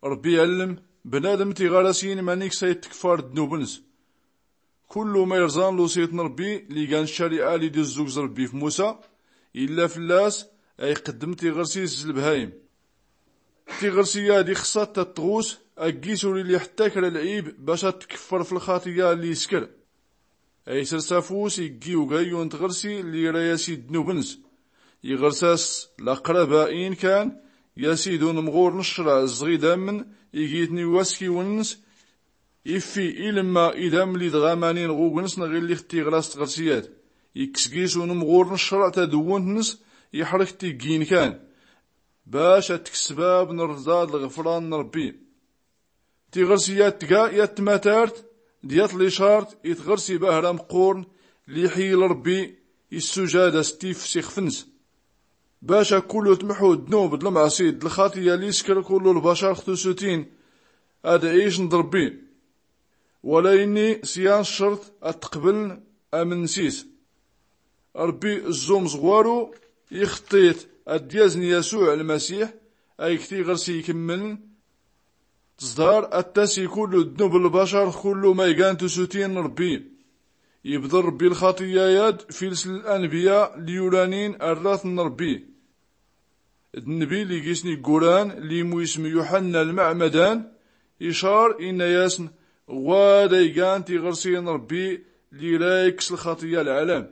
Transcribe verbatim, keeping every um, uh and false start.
Rbbi allm bnadm tiɣarasin manik sa ittkfar dnub-ns. Kullu ma irẓan lusit n-rbbi li gan ccari'a li d-izzugz rbbi f-musa, illa fllas a iqqddm tiɣrsi s-lbhayim. Tiɣrsi-yad ixṣṣa-t ad-tɣus, a-ggis ur illi ḥtta kra lɛib bac ad-tkffr f-lxaṭiya lli iskr. A isrs afus iggi ugayyun n-tɣrsi lli ira yasi ddnub-ns. Iɣrs-as laqraba-in kan, yasi d-unmɣur n-ccrɛ zɣ-idamn igi-tn iwaskiwn-ns. Iffi ilmma idamn lli d-ɣamanin ɣugn-s n-ɣilli x-tiɣras tɣrsi-yad. Ikkes gis unmɣur n-ccrɛ tadwwnt-ns, iḥrk tiggi-in kan, bac ad-tks sbab n-rrḍa d-lɣfran n-rbbi. Tiɣrsi-yad tga yat tmatart d-yat licarṭ i tɣrsi bahra mqqurn lli iḥyil rbbi, issujad-as tif s-ixf-ns. Bac a-kullu tmḥu ddnub d-lmɛṣi d-lxaṭiya lli iskr kullu lbacar x-tusutin, ad-icn d-rbbi. Wala inni s-yan ccrṭ ad-tqbln amn-ns-is. Rbbi zzumẓ ɣwaru ixṭṭit ad-yazn yasuɛ lmasiḥ, a ig tiɣrsi ikmmln. Tẓḍar ad-tasi kullu ddnub n-lbacar x-kullu ma igan tusutin n-rbbi. Ibḍr rbbi lxaṭiya-yad fils l-anbiya lli ulanin arratn n-rbbi. D-nnbi lli gis-n igguran lli mu ism yuḥanna lmɛmadan, icar inna-yasn ɣwad a igan tiɣrsi n-rbbi lli ira ikkes lxaṭiya lɛalam.